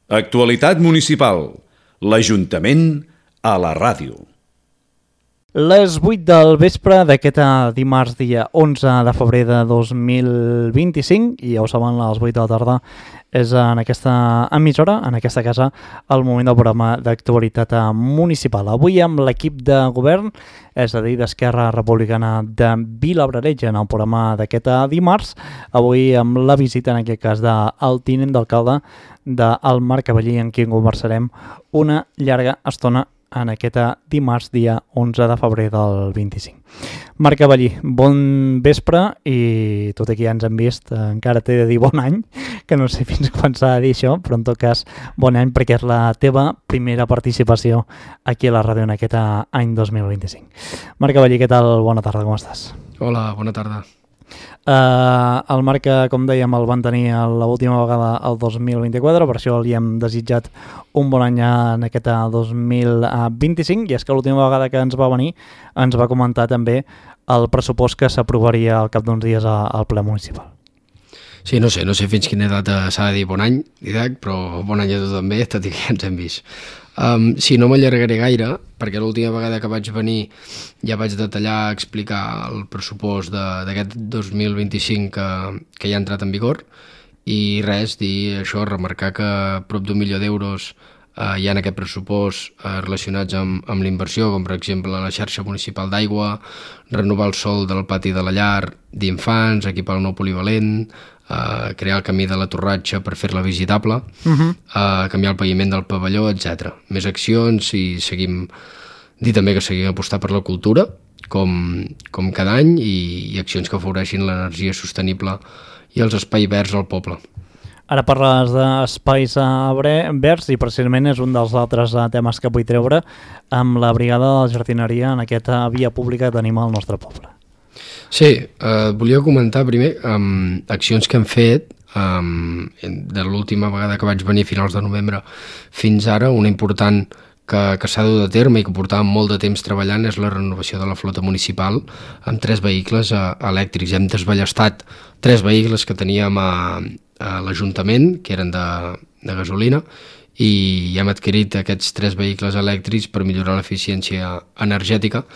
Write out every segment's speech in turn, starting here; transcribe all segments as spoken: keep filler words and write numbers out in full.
Actualitat municipal. L'Ajuntament a la ràdio. Les vuit del vespre d'aquest dimarts dia onze de febrer de dos mil vint-i-cinc, i ja ho saben, a les vuit de la tarda és en aquesta emissora, en aquesta casa, el moment del programa d'actualitat municipal. Avui amb l'equip de govern, és a dir, d'Esquerra Republicana de Vilabrareig, en el programa d'aquest dimarts, avui amb la visita, en aquest cas, del tinent d'alcalde del Marc Cavallí, amb qui conversarem una llarga estona en aquest dimarts, dia onze de febrer del vint-i-cinc. Marc Cavallí, bon vespre, i tot aquí ja ens hem vist, encara t'he de dir bon any, que no sé fins quan s'ha de dir això, però en tot cas bon any perquè és la teva primera participació aquí a la ràdio en aquest any dos mil vint-i-cinc. Marc Cavallí, què tal? Bona tarda, com estàs? Hola, bona tarda. Uh, el Marc, com dèiem, el van tenir l'última vegada el dos mil vint-i-quatre, per això li hem desitjat un bon any en aquest dos mil vint-i-cinc, i és que l'última vegada que ens va venir ens va comentar també el pressupost que s'aprovaria al cap d'uns dies al ple municipal. Sí, no sé, no sé fins quina data s'ha de dir bon any, Didac, però bon any a tu també, tot i que ja ens hem vist. Um, sí, no m'allargaré gaire, perquè l'última vegada que vaig venir ja vaig detallar, explicar el pressupost d'aquest dos mil vint-i-cinc que, que ja ha entrat en vigor, i res, dir això, remarcar que prop d'un milió d'euros eh, hi ha en aquest pressupost eh, relacionats amb, amb la inversió, com per exemple la xarxa municipal d'aigua, renovar el sòl del pati de la llar d'infants, equipar el nou polivalent, Uh, crear el camí de la torratxa per fer-la visitable, uh-huh. uh, canviar el paviment del pavelló, etcètera. Més accions i seguim, dir també que seguim apostar per la cultura, com, com cada any, i, i accions que afavoreixin l'energia sostenible i els espais verds al poble. Ara parles d'espais verds i precisament és un dels altres temes que vull treure amb la brigada de la jardineria en aquesta via pública que tenim al nostre poble. Sí, eh, volia comentar primer um, accions que hem fet um, de l'última vegada que vaig venir a finals de novembre fins ara. Una important que, que s'ha dut a terme i que portàvem molt de temps treballant és la renovació de la flota municipal amb tres vehicles uh, elèctrics. Hem desballestat tres vehicles que teníem a, a l'Ajuntament, que eren de, de gasolina, i hem adquirit aquests tres vehicles elèctrics per millorar l'eficiència energètica,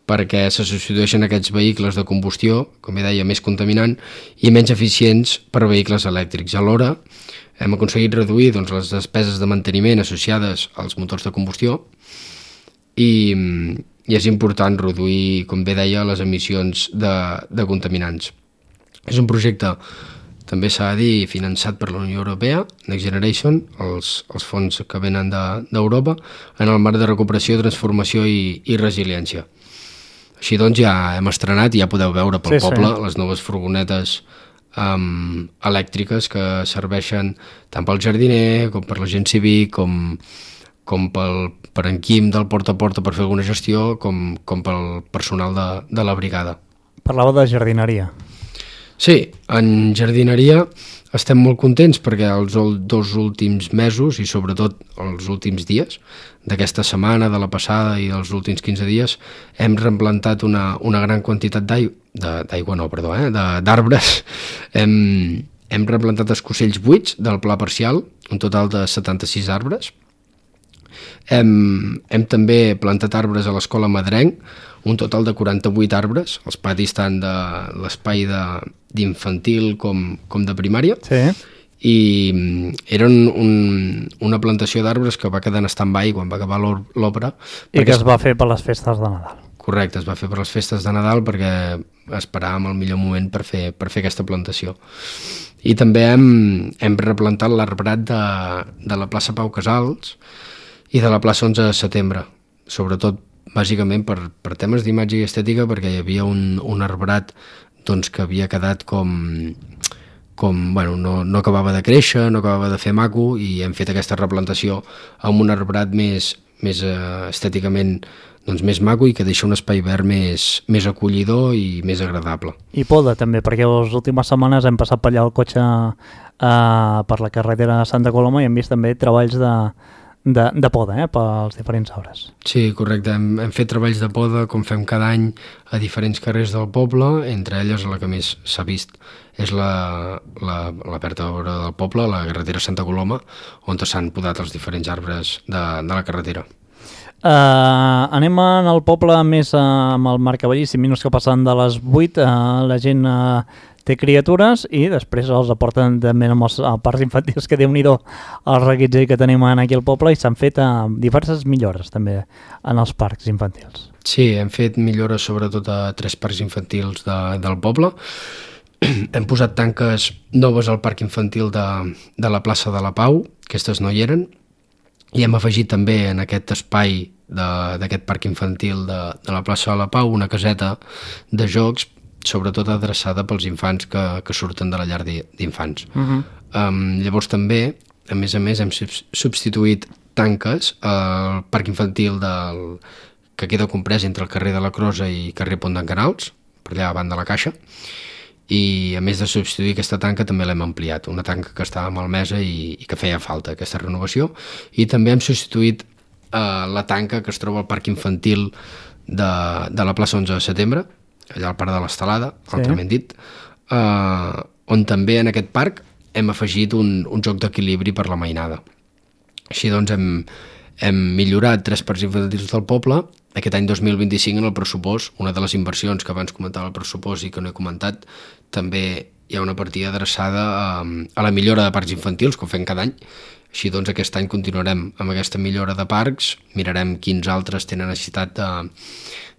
perquè se substitueixen aquests vehicles de combustió, com ja deia, més contaminant i menys eficients per vehicles elèctrics. Alhora, hem aconseguit reduir doncs, les despeses de manteniment associades als motors de combustió i, i és important reduir, com bé deia, les emissions de, de contaminants. És un projecte, també s'ha de dir, finançat per la Unió Europea, Next Generation, els, els fons que venen d'Europa, de, en el marc de recuperació, transformació i, i resiliència. Així doncs ja hem estrenat i ja podeu veure pel sí, poble sí. les noves furgonetes um, elèctriques que serveixen tant pel jardiner com per la gent cívic, com, com pel, per en Quim del porta a porta per fer alguna gestió, com, com pel personal de, de la brigada. Parlava de jardineria. Sí, en jardineria estem molt contents perquè els dos últims mesos i sobretot els últims dies d'aquesta setmana, de la passada i dels últims quinze dies hem replantat una, una gran quantitat d'aigua, d'aigua no, perdó, eh, d'arbres. Hem, hem replantat escocells buits del pla parcial, un total de setanta-sis arbres. Hem, hem també plantat arbres a l'escola Madrenc, un total de quaranta-vuit arbres, els patis tant de l'espai d'infantil com, com de primària, sí. I eren un, una plantació d'arbres que va quedar en stand-by quan va acabar l'obra. I que es va fer per les festes de Nadal. Correcte, es va fer per les festes de Nadal perquè esperàvem el millor moment per fer, per fer aquesta plantació. I també hem, hem replantat l'arbrat de, de la plaça Pau Casals i de la plaça onze de setembre, sobretot bàsicament per, per temes d'imatge i estètica, perquè hi havia un, un arbrat doncs, que havia quedat com, com bueno, no, no acabava de créixer, no acabava de fer maco, i hem fet aquesta replantació amb un arbrat més, més uh, estèticament doncs, més maco i que deixa un espai verd més, més acollidor i més agradable. I poda també, perquè les últimes setmanes hem passat per allà el cotxe uh, per la carretera de Santa Coloma i hem vist també treballs de de, de poda eh, pels diferents arbres. Sí, correcte. Hem, hem fet treballs de poda, com fem cada any, a diferents carrers del poble, entre elles la que més s'ha vist és la, la, la vertebra del poble, la carretera Santa Coloma, on s'han podat els diferents arbres de, de la carretera. Uh, anem al poble més uh, amb el Marcavallí, cinc minuts que passen de les vuit, uh, la gent uh, té criatures i després els aporten també amb els uh, parcs infantils, que déu-n'hi-do el reguitzell que tenim aquí al poble, i s'han fet uh, diverses millores també en els parcs infantils. Sí, hem fet millores sobretot a tres parcs infantils de, del poble. Hem posat tanques noves al parc infantil de, de la plaça de la Pau, aquestes no hi eren, i hem afegit també en aquest espai d'aquest parc infantil de, de la plaça de la Pau una caseta de jocs, sobretot adreçada pels infants que, que surten de la llar d'infants. Uh-huh. um, llavors també, a més a més, hem substituït tanques al parc infantil del, que queda comprès entre el carrer de la Crosa i carrer Pont d'en Canals, per allà davant de la Caixa, i a més de substituir aquesta tanca també l'hem ampliat, una tanca que estava malmesa i, i que feia falta aquesta renovació, i també hem substituït eh, la tanca que es troba al parc infantil de, de la plaça onze de setembre, allà al parc de l'Estelada, sí. Altrament dit, eh, on també en aquest parc hem afegit un, un joc d'equilibri per la mainada. Així doncs hem, hem millorat tres parcs infantils del poble. Aquest any dos mil vint-i-cinc en el pressupost, una de les inversions que abans comentava el pressupost i que no he comentat, també hi ha una partida adreçada a, a la millora de parcs infantils, com fem cada any. Així doncs aquest any continuarem amb aquesta millora de parcs, mirarem quins altres tenen necessitat de,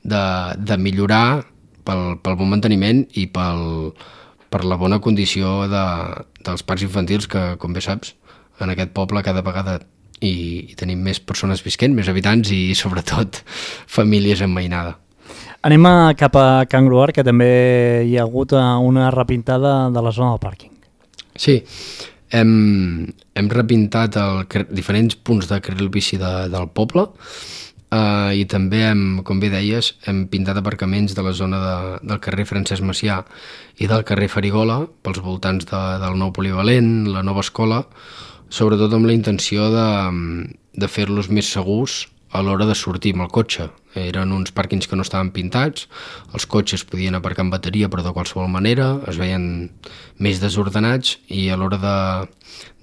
de, de millorar pel, pel bon manteniment i pel, per la bona condició de, dels parcs infantils que, com bé saps, en aquest poble cada vegada i, i tenim més persones visquent, més habitants i sobretot famílies en mainada. Anem a cap a Can Gruar, que també hi ha hagut una repintada de la zona del pàrquing. Sí, hem, hem repintat el, diferents punts de carril bici de, del poble eh, i també, hem, com bé deies, hem pintat aparcaments de la zona de, del carrer Francesc Macià i del carrer Farigola, pels voltants de, del nou polivalent, la nova escola, sobretot amb la intenció de, de fer-los més segurs a l'hora de sortir amb el cotxe. Eren uns pàrquings que no estaven pintats, els cotxes podien aparcar amb bateria però de qualsevol manera, es veien més desordenats i a l'hora de,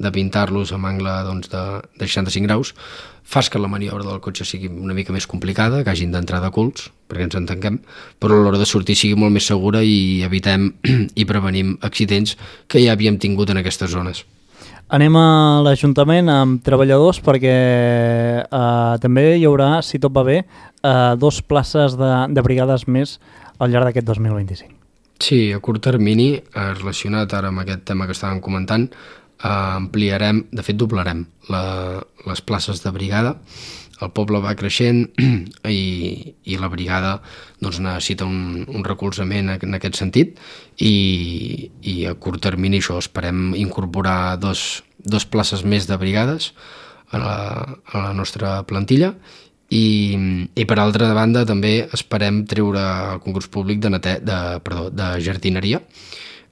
de pintar-los amb angle doncs, de, de seixanta-cinc graus fas que la maniobra del cotxe sigui una mica més complicada, que hagin d'entrar de culs, perquè ens entenguem, però a l'hora de sortir sigui molt més segura i evitem i prevenim accidents que ja havíem tingut en aquestes zones. Anem a l'Ajuntament amb treballadors perquè eh, també hi haurà, si tot va bé, eh, dos places de, de brigades més al llarg d'aquest dos mil vint-i-cinc. Sí, a curt termini, eh, relacionat ara amb aquest tema que estàvem comentant, eh, ampliarem, de fet doblarem la, les places de brigada. El poble va creixent i, i la brigada doncs, necessita un, un recolzament en aquest sentit i, i a curt termini això esperem incorporar dos, dos places més de brigades a la, a la nostra plantilla i, i per altra banda també esperem treure el concurs públic de, nete, de, perdó, de jardineria,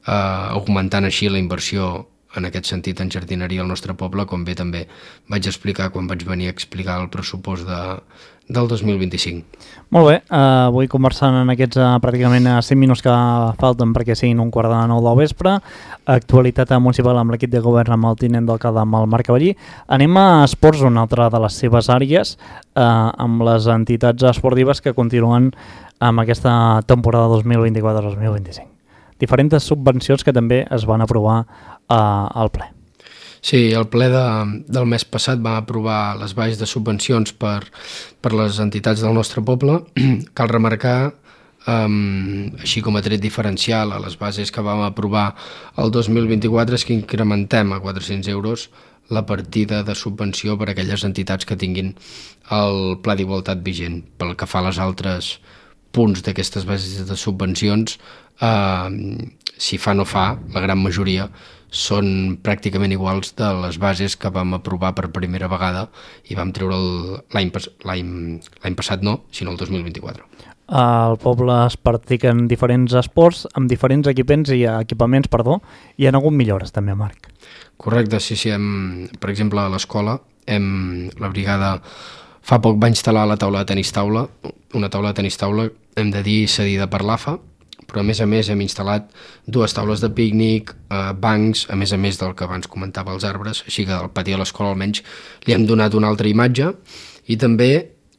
eh, augmentant així la inversió en aquest sentit en jardineria al nostre poble, com bé també vaig explicar quan vaig venir a explicar el pressupost de, del dos mil vint-i-cinc. Molt bé, uh, avui conversant en aquests uh, pràcticament cinc minuts que falten perquè siguin un quart de nou del vespre, actualitat municipal amb l'equip de govern amb el tinent d'alcalde amb el Marc Cavallí. Anem a esports, una altra de les seves àrees, uh, amb les entitats esportives que continuen amb aquesta temporada dos mil vint-i-quatre dos mil vint-i-cinc. Diferents subvencions que també es van aprovar uh, al ple. Sí, el ple de, del mes passat va aprovar les bases de subvencions per, per les entitats del nostre poble. Cal remarcar, um, així com a tret diferencial a les bases que vam aprovar el dos mil vint-i-quatre, és que incrementem a quatre-cents euros la partida de subvenció per a aquelles entitats que tinguin el pla d'igualtat vigent. Pel que fa a les altres punts d'aquestes bases de subvencions, eh, si fa no fa, la gran majoria són pràcticament iguals de les bases que vam aprovar per primera vegada i vam treure l'any passat no, sinó el dos mil vint-i-quatre. Al poble es practiquen diferents esports amb diferents equipaments i equipaments, perdó, i hi ha hagut millores també, Marc. Correcte, sí, sí. Hem, per exemple, a l'escola hem, la brigada fa poc va instal·lar la taula de tenis taula, una taula de tenis taula, hem de dir, cedida per l'A F A, però a més a més hem instal·lat dues taules de pícnic, eh, bancs, a més a més del que abans comentava els arbres, així que al pati de l'escola almenys li hem donat una altra imatge, i també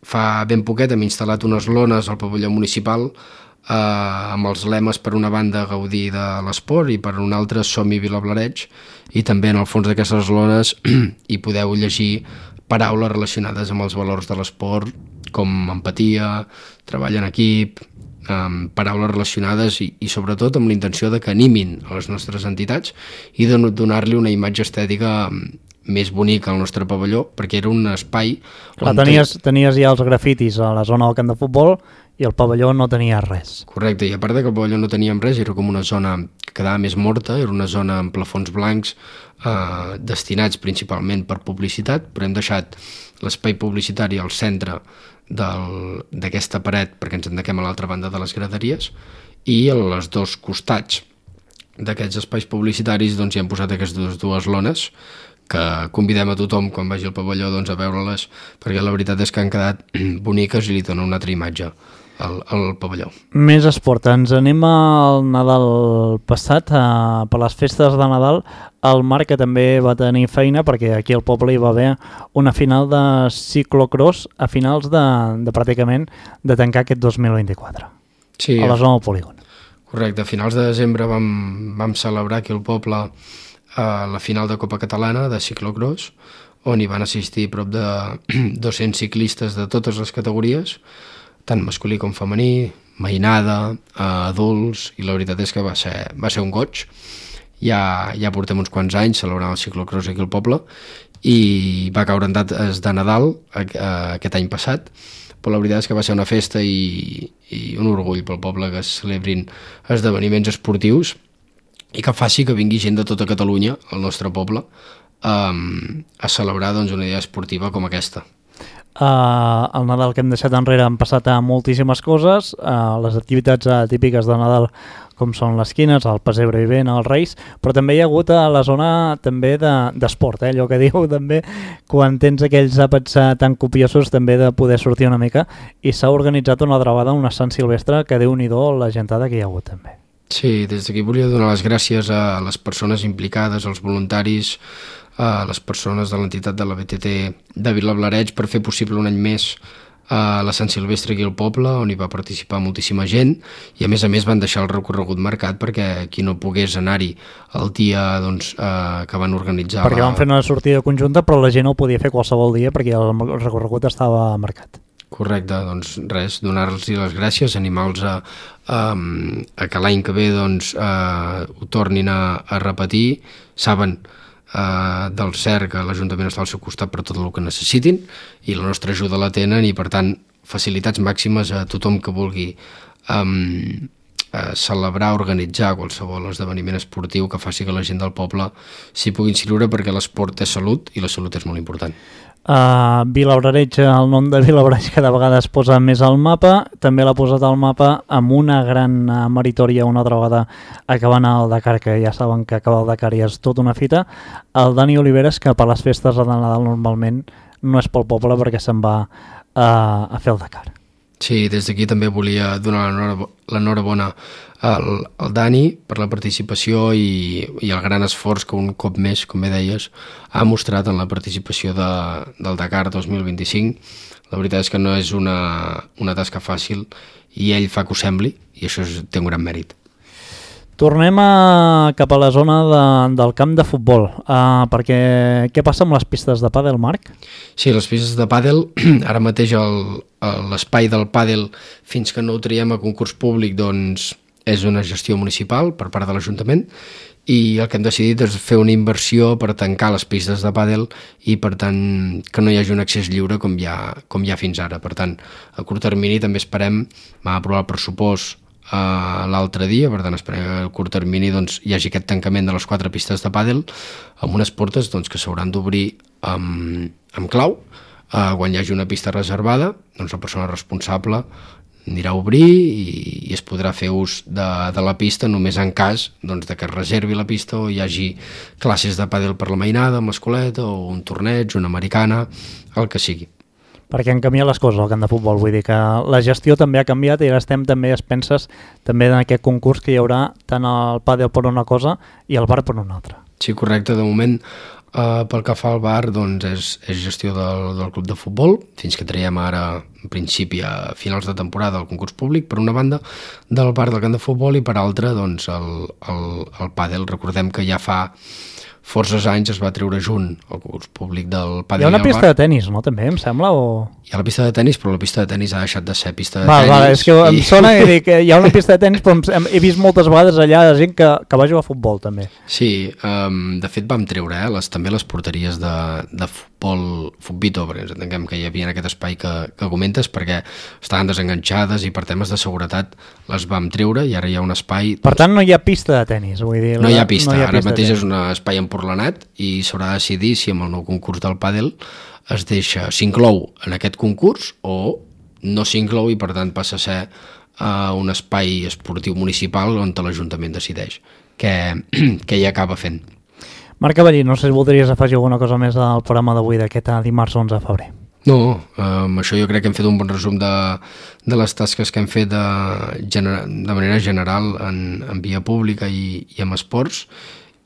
fa ben poquet hem instal·lat unes lones al pavelló municipal eh, amb els lemes per una banda gaudir de l'esport i per una altra som-hi Vilablareix, i també en el fons d'aquestes lones hi podeu llegir paraules relacionades amb els valors de l'esport, com empatia, treball en equip, um, paraules relacionades i, i sobretot amb la intenció de que animin a les nostres entitats i de donar-li una imatge estètica més bonica al nostre pavelló, perquè era un espai... Clar, tenies, tenies ja els grafitis a la zona del camp de futbol i el pavelló no tenia res. Correcte, i a part de que el pavelló no teníem res, era com una zona que quedava més morta, era una zona amb plafons blancs eh, destinats principalment per publicitat, però hem deixat l'espai publicitari al centre d'aquesta paret perquè ens endequem a l'altra banda de les graderies, i a les dos costats d'aquests espais publicitaris doncs, hi hem posat aquestes dues lones que convidem a tothom quan vagi al pavelló doncs, a veure-les, perquè la veritat és que han quedat boniques i li donen una altra imatge al, al pavelló. Més esport, ens anem al Nadal passat, a, per les festes de Nadal, el Marc, que també va tenir feina, perquè aquí al poble hi va haver una final de ciclocross a finals de, de pràcticament de tancar aquest dos mil vint-i-quatre, sí, a la zona del polígon. Correcte, a finals de desembre vam, vam celebrar aquí al poble a la final de Copa Catalana de ciclocross, on hi van assistir prop de dos-cents ciclistes de totes les categories, tant masculí com femení, mainada, adults, i la veritat és que va ser, va ser un goig. Ja, ja portem uns quants anys celebrant el ciclocross aquí al poble i va caure en dates de Nadal aquest any passat, però la veritat és que va ser una festa i, i un orgull pel poble que es celebrin esdeveniments esportius i que faci que vingui gent de tota Catalunya, al nostre poble, um, a celebrar doncs, una idea esportiva com aquesta. Uh, el Nadal que hem deixat enrere han passat a moltíssimes coses, uh, les activitats uh, típiques de Nadal com són les quines, el pessebre vivent, els Reis, però també hi ha hagut a la zona també d'esport, de, eh? Allò que diu també quan tens aquells àpats uh, tan copiosos també de poder sortir una mica, i s'ha organitzat una altra vegada una Sant Silvestre que Déu-n'hi-do la gentada que hi ha hagut també. Sí, des d'aquí volia donar les gràcies a les persones implicades, als voluntaris, a les persones de l'entitat de la B T T de Vilablareix per fer possible un any més a la Sant Silvestre aquí al poble, on hi va participar moltíssima gent, i a més a més van deixar el recorregut marcat perquè qui no pogués anar-hi el dia doncs, eh, que van organitzar... Perquè la... van fer una sortida conjunta, però la gent no ho podia fer qualsevol dia perquè el recorregut estava marcat. Correcte, doncs res, donar-los les gràcies, animar-los a, a, a que l'any que ve doncs, eh, ho tornin a, a repetir. Saben eh, del cert que l'Ajuntament està al seu costat per tot el que necessitin i la nostra ajuda la tenen, i per tant facilitats màximes a tothom que vulgui um, eh, celebrar, organitzar qualsevol esdeveniment esportiu que faci que la gent del poble s'hi pugui inscriure, perquè l'esport és salut i la salut és molt important. Uh, Vilablareix, el nom de Vilablareix cada vegada es posa més al mapa, també l'ha posat al mapa amb una gran uh, meritòria una altra vegada acabant el Dakar, que ja saben que acabar el Dakar ja és tota una fita. El Dani Oliveres, que per les festes de Nadal normalment no és pel poble perquè se'n va uh, a fer el Dakar. Sí, des d'aquí també volia donar l'enhorabona al, al Dani per la participació i, i el gran esforç que un cop més, com bé deies, ha mostrat en la participació de, del Dakar dos mil vint-i-cinc. La veritat és que no és una, una tasca fàcil i ell fa que ho sembli, i això és, té un gran mèrit. Tornem a, cap a la zona de, del camp de futbol, uh, perquè què passa amb les pistes de pàdel, Marc? Sí, les pistes de pàdel, ara mateix l'espai del pàdel, fins que no ho traiem a concurs públic, doncs és una gestió municipal per part de l'Ajuntament, i el que hem decidit és fer una inversió per tancar les pistes de pàdel i per tant que no hi hagi un accés lliure com hi ha, com hi ha fins ara. Per tant, a curt termini també esperem, vam aprovar el pressupost Uh, l'altre dia, per tant esperem que a curt termini doncs, hi hagi aquest tancament de les quatre pistes de pàdel amb unes portes doncs, que s'hauran d'obrir amb, amb clau. Uh, quan hi hagi una pista reservada, doncs la persona responsable anirà a obrir i, i es podrà fer ús de, de la pista només en cas doncs, de que es reservi la pista o hi hagi classes de pàdel per la mainada amb l'escoleta o un torneig, una americana, el que sigui. Perquè han canviat les coses al camp de futbol, vull dir que la gestió també ha canviat i ara estem també a expenses també en aquest concurs que hi haurà tant el pàdel per una cosa i el bar per una altra. Sí, correcte, de moment Uh, pel que fa al bar, doncs és, és gestió del, del club de futbol, fins que traiem ara, en principi, a finals de temporada el concurs públic, per una banda, del bar del camp de futbol i per altra, doncs, el, el, el pàdel. Recordem que ja fa forces anys es va treure junt el concurs públic del pàdel. Hi ha una pista de tennis, no, també, em sembla? O... Hi ha la pista de tennis, però la pista de tennis ha deixat de ser pista de val, tennis. Val, és que i... em sona que dic, hi ha una pista de tennis, però hem, he vist moltes vegades allà de gent que, que va jugar a futbol, també. Sí, um, de fet vam treure eh, les, també les porteries de, de futbol, futbito, perquè ens entenguem que hi havia en aquest espai que, que comentes, perquè estaven desenganxades i per temes de seguretat les vam treure i ara hi ha un espai... Per tant, no hi ha pista de tennis, vull dir... No hi ha pista, no hi ha ara pista mateix és un espai emporlanat i s'haurà de decidir si amb el nou concurs del pàdel es deixa, s'inclou en aquest concurs o no s'inclou i per tant passa a ser uh, un espai esportiu municipal on l'Ajuntament decideix què, què hi acaba fent. Marc Cavallí, no sé si voldries afegir alguna cosa més al programa d'avui d'aquest dimarts onze de febrer. No, amb això jo crec que hem fet un bon resum de, de les tasques que hem fet de, gener, de manera general en, en via pública i, i amb esports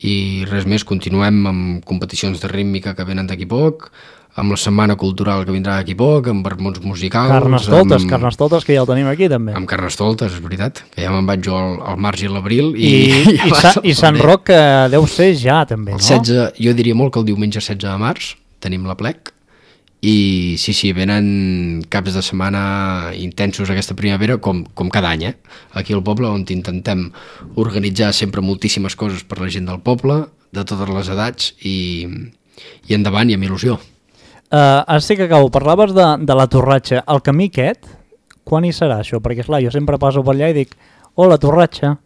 i res més, continuem amb competicions de rítmica que venen d'aquí poc, amb la setmana cultural que vindrà d'aquí poc, amb vermuts musicals... Carnestoltes, amb, Carnestoltes, que ja el tenim aquí també. Amb Carnestoltes, és veritat, que ja me'n vaig jo al, al març i l'abril. I, I, i, sa, i Sant Roc que deu ser ja també, no? El setze, jo diria molt que el diumenge setze de març tenim la plec i sí, sí, venen caps de setmana intensos aquesta primavera com, com cada any, eh? Aquí al poble on intentem organitzar sempre moltíssimes coses per la gent del poble, de totes les edats i, i endavant i amb il·lusió. Uh, ara sí que acabo, parlaves de, de la Torratxa, el camí aquest, quan hi serà això? Perquè esclar, jo sempre passo per allà i dic, oh, la Torratxa,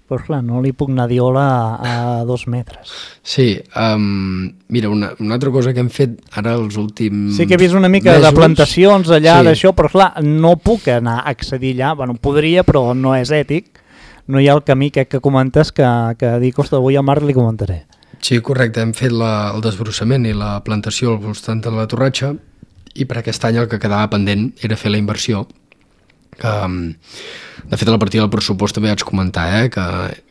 però clar, no li puc anar a dir hola a, a dos metres. Sí, um, mira, una, una altra cosa que hem fet ara els últims Sí que he vist una mica mesos, de plantacions allà, sí. d'això, però clar, no puc anar a accedir allà, bueno, podria, però no és ètic, no hi ha el camí que, que comentes que, que dic, ostres, avui a Marc li comentaré. Sí, correcte, hem fet la, el desbrossament i la plantació al voltant de la Torratxa i per aquest any el que quedava pendent era fer la inversió que, de fet, a la partida del pressupost també vaig comentar eh, que,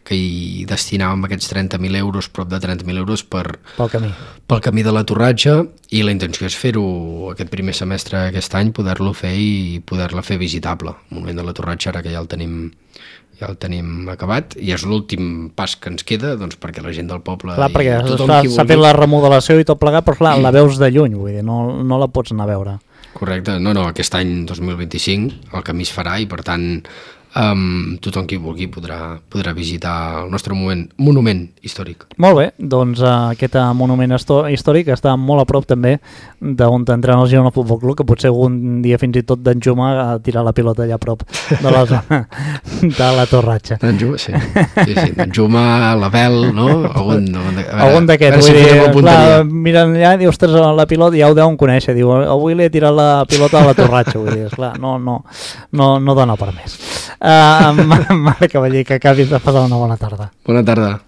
que hi destinàvem aquests trenta mil euros, prop de trenta mil euros per, pel camí. pel camí de la Torratxa i la intenció és fer-ho aquest primer semestre aquest any, poder-lo fer i poder-la fer visitable. El moment de la Torratxa ara que ja el tenim ja el tenim acabat i és l'últim pas que ens queda doncs, perquè la gent del poble clar, perquè s'ha vulgui... fet la remodelació i tot plegat, però clar, la veus de lluny, vull dir, no, no la pots anar a veure. Correcte, no, no, aquest any dos mil vint-i-cinc el camí es farà i per tant um, tothom qui vulgui podrà, podrà visitar el nostre moment, monument històric. Molt bé, doncs uh, aquest uh, monument històric està molt a prop també d'on entrena el Girona Futbol Club, que potser algun dia fins i tot d'en Juma a tirar la pilota allà a prop de la zona de la Torratxa. D'en Juma, sí. sí, sí. D'en Juma, l'Abel, no? Algun, algun d'aquests, vull dir, clar, miren allà i diu, ostres, la pilota, ja ho deuen conèixer, diu, avui li he tirat la pilota a la Torratxa, vull dir, esclar, no, no, no, no dona per més. Uh, Marc Cavallí, que acabis de passar una bona tarda. Bona tarda.